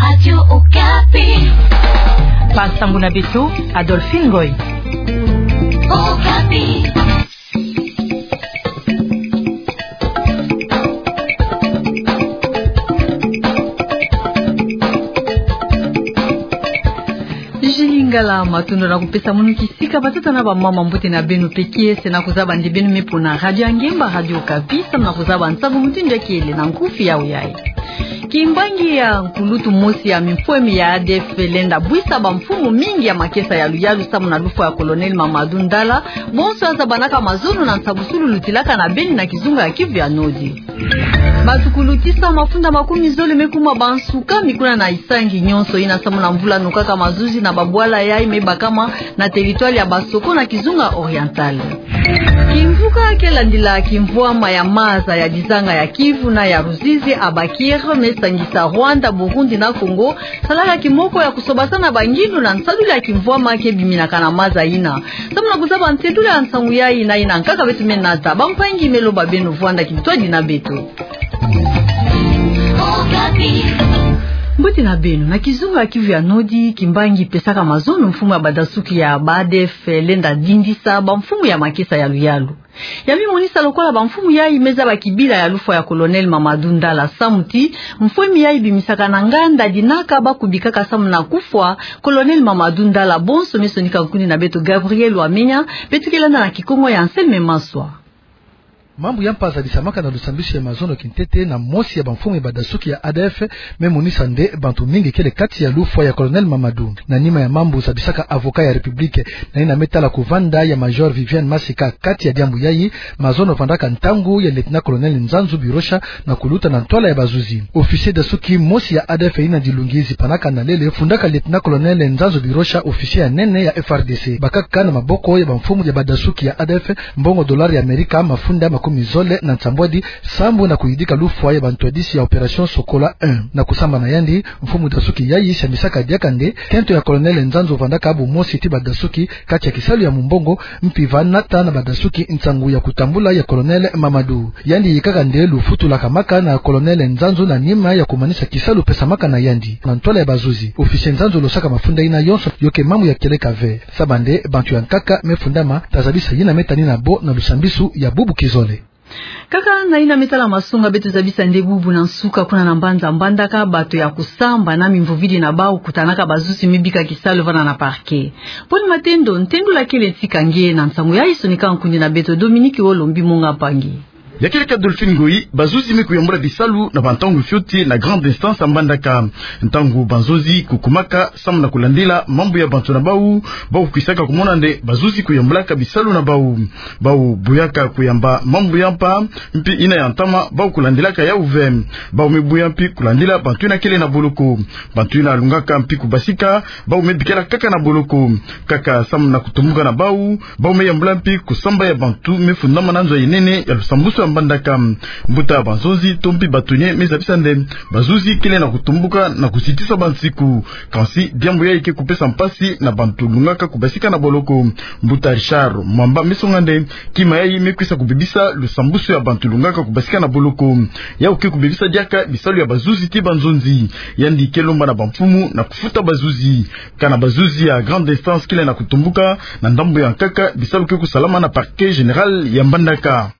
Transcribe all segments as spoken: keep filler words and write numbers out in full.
Radio Okapi. Bansango na beto, Adolphine Ngoy. Okapi. Julie Ngala, matondo na kupesa munu kisika, batata na bamama, mbote na beno pe kiese na kuzaba nde beno me pona Radio Ngemba, Radio Okapi, samu na kuzaba nsangu mutindu ya kiele na nkufi yawu yayi. Kimbangi ya nkulutu mosi ya mimfwemi ya A D F lenda bwisa bamfumu mingi ya makesa ya luyalu samu na lufwa ya Colonel Mamadou Ndala, bonso yazabanaka mazono na nsabusulu lutilaka na beni na kizunga ya Kivu ya Nord. Bato kulutisa mafunda makumi zole me kuma bansukami kuna na Isangi, nyonso yina samu na mvula nokaka mazuzi na babwala yayi me bakama na territoire ya Basoko na kizunga Oriental. Kimvuka ke landila kimvwama ya maza ya dizanga ya Kivu na ya Ruzizi, Abakir, me sangisa Rwanda, Burundi na Congo, salaka kimoko ya kusobasana bangindu na nsadulu ya kimvwama ke biminaka na maza yina. Samu na kuzaba ntedula ya nsangu yayi na yina nkaka beto me nata, bampangi, me loba beno vwanda kintwadi na beto. Mbote na beno. Na kizunga ya Kivu ya Nord, kimbangi pesaka mazono mfumu ya badasuki ya ba A D F lenda dindisa bamfumu ya makesa ya luyalu. Ya me monisa lokola bamfumu yayi me zaba kibila ya lufwa ya Colonel Mamadou Ndala, samu ti mfwemi yayi bimisaka na nganda dinaka ba kubikaka samu na kufwa Colonel Mamadou Ndala. Bonso me sonika nkuni na beto Gabriel Wamenya, beto ke landa na Kikongo ya Anselme Maswa. Mambu ya mpa zabisamaka na lusambisi ya mazono kintete na mosi ya bamfumu ya badasuki ya A D F me monisa nde bantu mingi kele kati ya lufwa ya Colonel Mamadou. Na nima ya mambu zabisaka avocat ya République, na yina me tala kuvanda ya Major Viviane Masika kati ya diambu yayi, mazono vandaka ntangu ya Lieutenant-colonel Nzanzu Birosha na kuluta na ntwala ya bazuzi. Officier dasuki mosi ya A D F yina dilungi zipanaka na lele fundaka Lieutenant-colonel Nzanzu Birosha officier ya nene ya F R D C. Bakaka na maboko ya bamfumu ya badasuki ya A D F mbongo dollar ya Amerika mafunda makumi zole na nsambwadi sambu na kuyidika lufwa ya bantwadisi ya Opération Sokola un. Na kusamba na yandi, mfumu dasuki yayi sambisaka diaka nde kento ya Colonel Nzanzu vandaka bumosi ti badasuki kati ya kisalu ya mumbongo, mpi va nata na badasuki nsangu ya kutambula ya Colonel Mamadou. Yandi yikaka nde lufutulaka maka na Colonel Nzanzu na nima ya kumanisa kisalu pesamaka na yandi. Na ntwala ya bazuzi, officier Nzanzu losaka mafunda yina yonso, yo ke mambu ya kieleka ve. Saba nde bantu ya nkaka me fundama, ta zabisa yina me tani na bo na lusambisu ya bubu kizole. Kaka na yina me tala masonga, beto zabisa nde bubu na nsuka kuna na mbanza Mbandaka, bato ya kusamba na mimvovili na bawu kutanaka bazuzi me bika kisalu vana na parquet. Paul Matendo, ntendula kele tika nge na nsangu yayi, sonika nkuni na beto Dominique Olombi Monga Mpangi. Ya kieleka Adolphine Ngoyi, bazuzi me kuyambula bisalu na bantangu fioti na grande instance ya Mbandaka. Ntangu banzonzi kukumaka samu na kulandila mambu ya bantu na bawu, bawu kukwisaka kumona nde bazuzi kuyambulaka bisalu na bawu. Bawu boyaka kuyamba mambu ya mpa, mpi yina ya ntama, bawu kulandilaka yawu ve. Bawu me boya mpi kulandila bantu yina kele na boloko. Bantu yina lungaka mpi kubasika, bawu me bikela kaka na boloko. Kaka samu na kutumbuka na bawu, bawu me yambula mpi kusamba ya bantu me fundama na nzo ya nene ya lusambusu ya Mbandaka. Mbuta banzonzi to mpi batonye me zabisa nde bazuzi kele na kutumbuka na kusitisa bansiku. Kansi diambu yayi ke kupesa mpasi na bantu lungaka kubasika na boloko. Mbuta Richard Mwamba me songa nde kima yayi me kwisa kubebisa lusambusu ya bantu lungaka kubasika na boloko. Yawu ke kubebisa diaka bisalu ya bazuzi ti banzonzi. Yandi ke lomba na bamfumu na kufuta bazuzi. Kana bazuzi ya grande instance kele na kutumbuka na ndambu ya nkaka, bisalu ke kusalama na parquet général ya Mbandaka.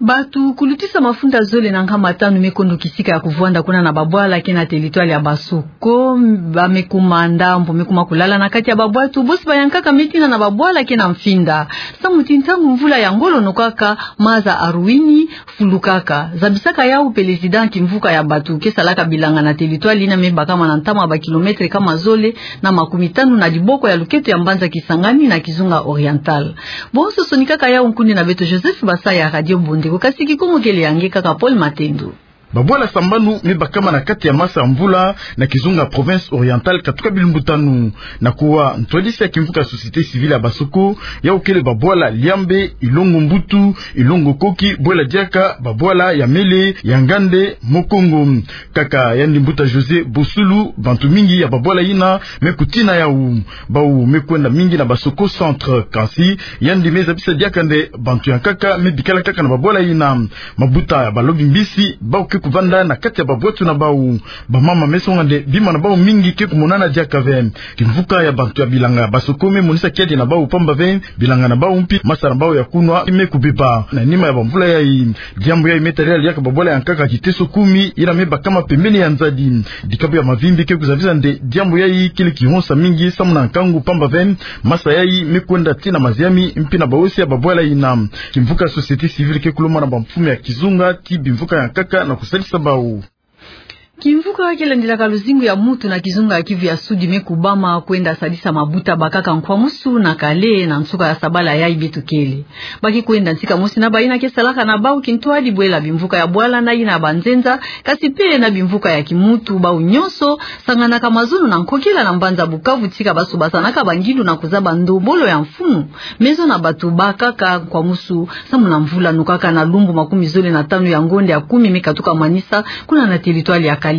Bato kulutisa mafunda zole na nkama tanu me kondo kisika ya kuvwanda kuna na babwala ke na territoire ya Basoko. Ba me kuma ndambu me kuma kulala na kati ya babwatu, bosi ba ya nkaka me tina na babwala ke na mfinda. Samu ti ntangu mvula ya ngolo nokaka, maza aruini, fulukaka. Zabisaka yawu président kimvuka ya bato ke salaka bilanga na territoire yina me bakama na ntama ba kilomètre kama zole na makumi tanu na diboko ya luketo ya mbanza Kisangani na kizunga Oriental. Bonso sonikaka yawu nkuni na beto Joseph Basaya, Radio Bondeko, kasi Kikongo kele ya nge kaka Paul Matendo. Babwala sambanu me bakama na kati ya masa ya mvula na kizunga province Oriental katuka bilumbu tanu. Na kuwa ntwadisi ya kimvuka société civile ya Basoko, yawu kele babwala Liambe, Ilongo Mbutu, Ilongo Koki, Bwela Diaka, babwala ya Mele, ya Ngande, Mokongo. Kaka yandi mbuta José Bosulu, bantu mingi ya babwala yina me kutina yawu. Bawu me kwenda mingi na Basoko centre, kansi yandi me zabisa diaka nde bantu ya nkaka me bikala kaka na babwala yina. Mabuta ya balobi mbisi, bawu ke kuvanda na kati ya babwatu na bau. Bamama me songa nde bima na bau mingi ke kumonana diaka ve. Kimvuka ya bantu ya bilanga ya Basoko me monisa kiadi na bau pamba ve, bilanga na bau mpi, masa na bau ya kunwa me kubeba. Na nima ya bamvula yai, diambu yai me talela diaka babwala ya nkaka kiteso kumi, yina me bakama pembeni ya nzadi. Dikabu ya Mavimbi ke kuzabisa nde diambu yai kele kihonsa mingi samu na nkangu pamba ve, masa yai me kwenda tii na maziami mpi na baosi ya babwala yina. Kimvuka ya société civile ke kulomba na bamfumu ya kizunga ti bimvuka ya nkaka na kusalisa bau. Kimvuka ke landilaka luzingu ya mutu na kizunga ya Kivu ya Sudi me kubama kwenda salisa mabuta bakaka nkwamusu na kale na nsuka ya sabala yai beto kele. Ba ke kwenda nsi kamosi na bayina ke salaka na bau kintwadi bwela bimvuka ya bwala na yina banzenza, kasi pe na bimvuka ya kimutu, bau nyonso sanganaka mazono na nkokila na mbanza Bukavu tika baso basanaka bangilu na kuzaba ndombolo ya mfumu, me zo na bato bakaka nkwamusu, samu na mvula nokaka na lumbu makumi zole na tanu ya ngonde ya kumi me katuka manisa kuna na territoire ya kale.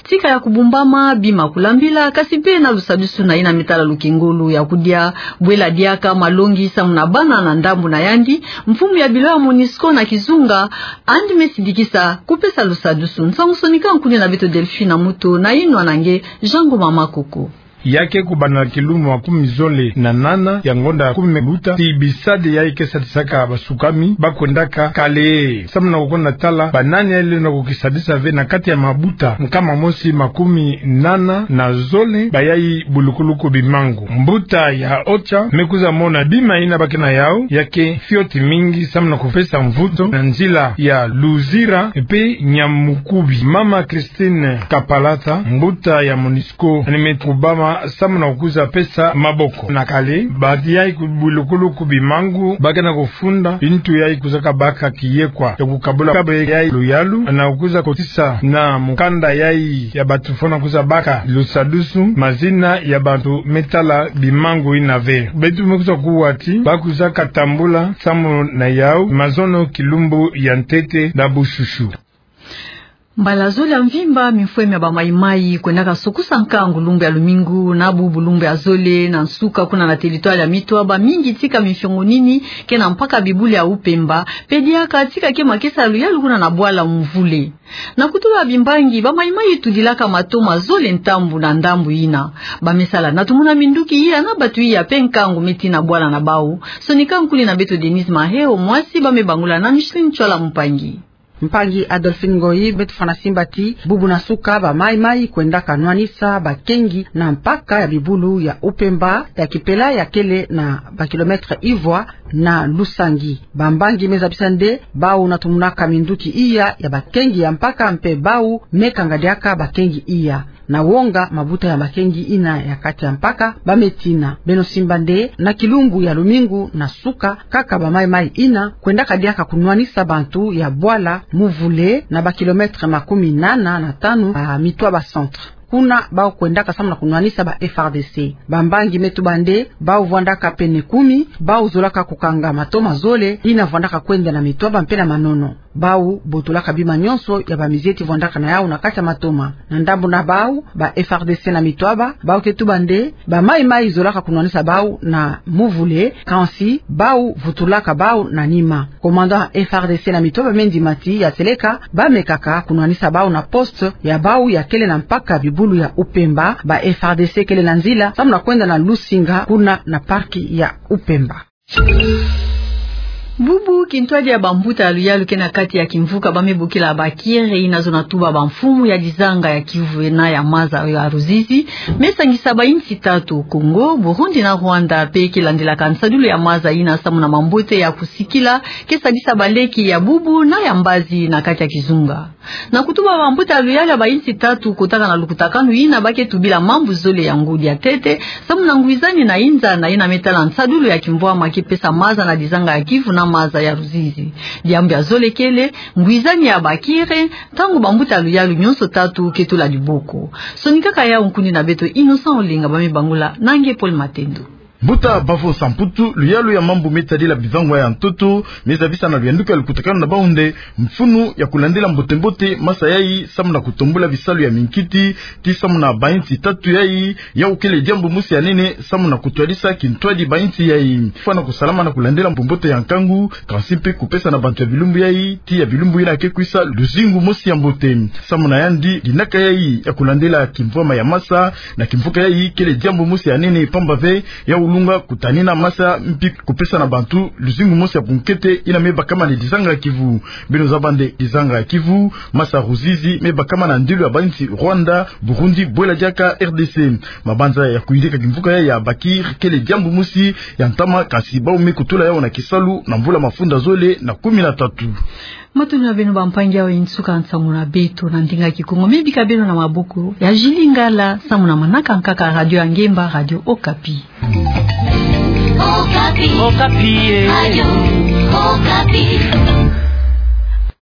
Tika ya kubumbama, bima kulambila, kasi pe na lusadusu na yina me tala lukengolo ya kudia, bwela diaka malongi samu na bana na ndambu na yandi, mfumu ya bilo ya MONUSCO na kizunga, andi me sidikisa kupesa lusadusu. Nsangu sonika nkuni na beto Delphine Muto na yinwa na nge Jean Ngoma Makoko. Ya ke kubanda na kilumbu makumi zole na nana ya ngonda ya kumi me buta, ti bisadi yai ke sadisaka basukami ba kwendaka kale. Samu na kukonda tala banani yai lenda kukisadisa ve na kati ya mabuta nkama mosi makumi nana na zole bayai bulukuluku bimangu. Mbuta ya Ocha me kwiza mona bima yina ba ke na yau, ya ke fioti mingi samu na kupesa mvutu na nzila ya Luzira pe Nyamukubi. Mama Christine Kapalata, mbuta ya MONUSCO, andi me kubama samu na kukwiza pesa maboko. Na kale, ba yai ku bulukuluku bimangu ba ke na kufunda bintu yai kwizaka baka kiyekwa ya kukabula kabe yai luyalu, na kukwiza kotisa na mukanda yai ya bato fwana kwiza baka lusadusu mazina ya bato me tala bimangu yina ve. Beto me kwiza kuwa ti ba kwizaka tambula samu na yau mazono kilumbu ya ntete na bushushu. Mbala zole ya mvimba, mimfwe mia bamaimai kwendaka sukusa nkangu lumbu ya lumingu na bubu lumbu ya zole na nsuka kuna na territoire ya Mitwaba, mingi tika mifiongo nini ke na mpaka bibulu ya Upemba, pe diaka tika ke makesa ya luyalu kuna na bwala Muvule. Na kutuba bimbangi, bamaimai tudilaka matoma zole ntambu na ndambu yina. Ba me sala na tumuna minduki iya na bato iya pe nkangu me tii na bwala na bau. Sonika nkuni na beto Denise Maheo, mwasi ba me bangula na Micheline Ntsoila Mpangi. Mpangi Adolphine Ngoyi, beto fwana simba ti bubu na nsuka bamaimai kwendaka nwanisa bakengi na mpaka ya bibulu ya Upemba ya kipela ya kele na ba kilomètre ivwa na Lusangi. Bambangi me zabisa nde bau na tumunaka minduki iya ya bakengi ya mpaka mpe bau me kanga diaka bakengi iya. Na wonga mabuta ya bakengi yina ya kati ya mpaka, ba me tina. Beno simba nde na kilumbu ya lumingu na nsuka, kaka bamaimai yina kwendaka diaka kunwanisa bantu ya bwala Muvule na ba kilomètre makumi nana na tanu ya Mitwaba centre. Kuna bau kwendaka samu na kunwanisa ba F R D C. Bambangi me tuba nde bau vwandaka pene kumi, bau zolaka kukanga matoma zole yina vwandaka kwenda na Mitwaba mpe na Manono. Bau botolaka bima nyonso ya bamizieti vwandaka na yau na kati ya matoma. Na ndambu na bau, ba F R D C na Mitwaba, bau ke tuba nde bamaimai zolaka kunwanisa bau na Muvule, kansi bau vutulaka bau na nima. Commandant F R D C na Mitwaba me ndima ti ya seleka ba mekaka kunwanisa bau na poste ya bau ya kele na mpaka bibulu ya Upemba. Ba F R D C kele na nzila samu na kwenda na Lusinga, kuna na parc ya Upemba. Bubu kintwadi ya bambuta ya luyalu ke na kati ya kimvuka ba me bokila Bakire, yina zona tuba bamfumu ya dizanga ya Kivu na ya maza ya Ruzizi, me sangisa ba insi tatu, Congo, Burundi na Rwanda, pe ke landilaka nsadulu ya maza yina samu na mambote ya kusikila ke sadisa baleki ya bubu na ya mbazi na kati ya kizunga. Na kutuba bambuta ya luyalu ya ba insi tatu kotaka na lukutakanu yina, ba ke tubila mambu zole ya ngudi ya ntete samu na ngwizani na inza na yina me tala nsadulu ya kimvwama ke pesa maza na dizanga ya Kivu na maza ya Ruzizi. Diambu ya zole kele ngwizani ya Bakire, ntangu bambuta ya luyalu nyonso tatu ke tula diboko. Sonikaka yau nkuni na beto Innocent Olenga ba me bangula na nge Paul Matendo. Mbuta Bavo Samputu, luyalu ya mambu me tadila bivangwa ya ntoto, me zabisa na luyanduka lukutakanu na bawu nde mfunu ya kulandila mbote-mbote masa yayi, samu na kutombula bisalu ya minkiti, tii samu na bainsi tatu yayi, yawu kele diambu mosi ya nene, samu na kutwadisa kintwadi bainsi yayi. Fwana kusalama na kulandila mbumbote ya nkangu, kansi mpe kupesa na bantu ya bilumbu yayi, tii ya bilumbu yina ke kwisa luzingu mosi ya mbote. Samu na yandi, linaka yayi ya kulandila kimvwama ya masa na kimvuka yayi kele diambu mosi ya nene, pamba ve yawu lunga kutanina masa mpi kupesa na bantu luzingu mosi ya bunkete yina me bakama na dizanga ya Kivu. Beno zaba nde dizanga ya Kivu, masa Ruzizi me bakama na ndilu ya bainsi Rwanda, Burundi, bwela diaka R D C. Mabanza ya kuyidika kimvuka yayi ya Bakir kele diambu mosi ya ntama, kansi bawu me kutula yawu na kisalu na mvula mafunda zole na kumi na tatu. Matondo na beno bampangi, awa e nsuka nsangu na beto na ndinga Kikongo. Me bika beno na maboko ya Julie Ngala, samu na manaka nkaka Radio ya Ngemba, Radio Okapi. Okapi. Okapi, eh. Radio Okapi.